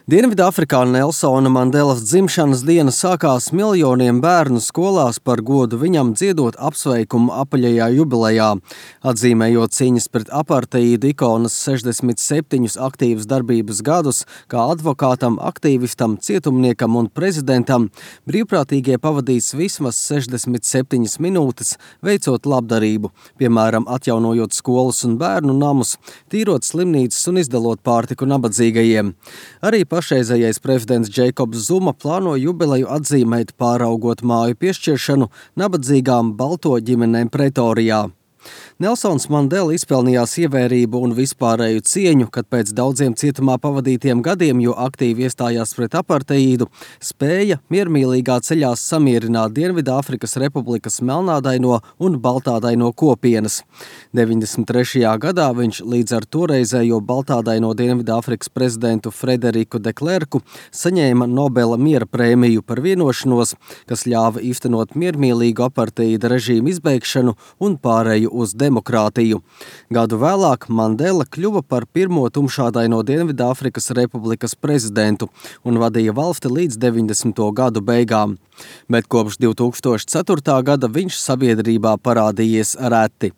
Dienvidāfrikā Nelsona Mandelas dzimšanas diena sākās miljoniem bērnu skolās par godu viņam dziedot apsveikumu apaļajā jubilejā, atzīmējot cīņas pret aparteīdu ikonas 67 aktīvas darbības gadus, kā advokātam, aktīvistam, cietumniekam un prezidentam. Brīvprātīgie pavadīs vismaz 67 minūtes, veicot labdarību, piemēram, atjaunojot skolas un bērnu namus, tīrot slimnīcas un izdalot pārtiku nabadzīgajiem. Arī pašreizējais prezidents Džeikobs Zuma plāno jubileju atzīmēt, pāraugot māju piešķiršanu nabadzīgām balto ģimenēm Pretorijā. Nelsons Mandela izpelnījās ievērību un vispārēju cieņu, kad pēc daudziem cietumā pavadītiem gadiem, jo aktīvi iestājās pret aparteīdu, spēja miermīlīgā ceļā samierināt Dienvidāfrikas Republikas melnādaino un baltādaino kopienas. 93. gadā viņš līdz ar toreizējo baltādaino Dienvidāfrikas prezidentu Frederiku de Klerku saņēma Nobela miera prēmiju par vienošanos, kas ļāva īstenot miermīlīgu aparteīda režīmu izbeigšanu un pārēju uz demokrātiju. Gadu vēlāk Mandela kļuva par pirmo tumšādaino Dienvidāfrikas Republikas prezidentu un vadīja valsti līdz 90. gadu beigām. Bet kopš 2004. gada viņš sabiedrībā parādījies reti.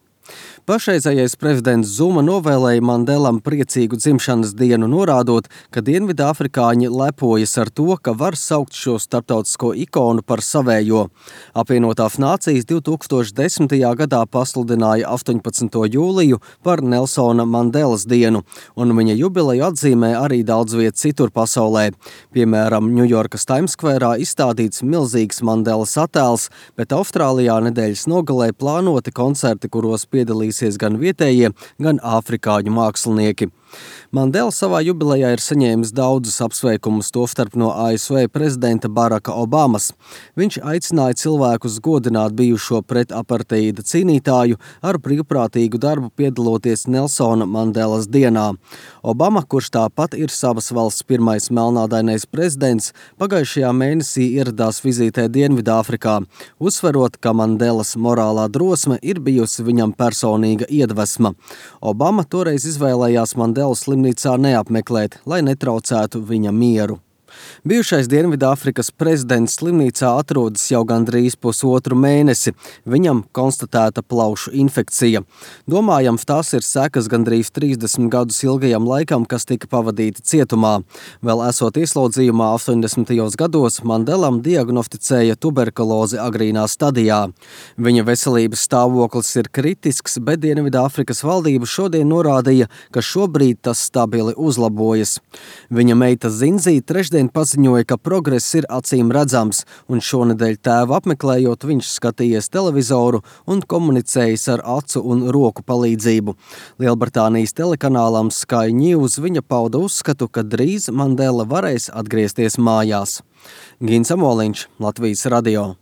Pašreizējais prezidents Zuma novēlēja Mandelam priecīgu dzimšanas dienu, norādot, ka dienvidāfrikāņi lepojas ar to, ka var saukt šo starptautisko ikonu par savējo. Apvienotās nācijas 2010. gadā pasludināja 18. jūliju par Nelsona Mandelas dienu, un viņa jubileju atzīmē arī daudz viet citur pasaulē. Piemēram, Ņujorkas Times Square izstādīts milzīgs Mandelas attēls, bet Austrālijā nedēļas nogalē plānoti koncerti, kuros piedalīsies gan vietējie, gan āfrikāņu mākslinieki. Mandela savā jubilejā ir saņēmis daudzus apsveikumus, tostarp no ASV prezidenta Baraka Obamas. Viņš aicināja cilvēkus godināt bijušo pret aparteīda cīnītāju ar brīvprātīgu darbu piedaloties Nelsona Mandelas dienā. Obama, kurš tāpat ir savas valsts pirmais melnādainais prezidents, pagājušajā mēnesī ieradās vizītē Dienvidāfrikā, uzsverot, ka Mandelas morālā drosme ir bijusi viņam personīga iedvesma. Obama toreiz izvēlējās Mandelu slimnīcā neapmeklēt, lai netraucētu viņa mieru. Bijušais Dienvidāfrikas prezidents slimnīcā atrodas jau gandrīz pusotru mēnesi. Viņam konstatēta plaušu infekcija. Domājams, tās ir sekas gandrīz 30 gadus ilgajam laikam, kas tika pavadīti cietumā. Vēl esot ieslodzījumā 80. gados, Mandelam diagnosticēja tuberkulozi agrīnā stadijā. Viņa veselības stāvoklis ir kritisks, bet Dienvidāfrikas valdība šodien norādīja, ka šobrīd tas stabili uzlabojas. Viņa meita Zinzī trešdien paziņoja, ka progress ir acīm redzams, un šonedēļ tēvu apmeklējot, viņš skatījies televizoru un komunicējis ar acu un roku palīdzību. Lielbritānijas telekanālam Sky News viņa pauda uzskatu, ka drīz Mandela varēs atgriezties mājās. Gins Amoliņš, Latvijas radio.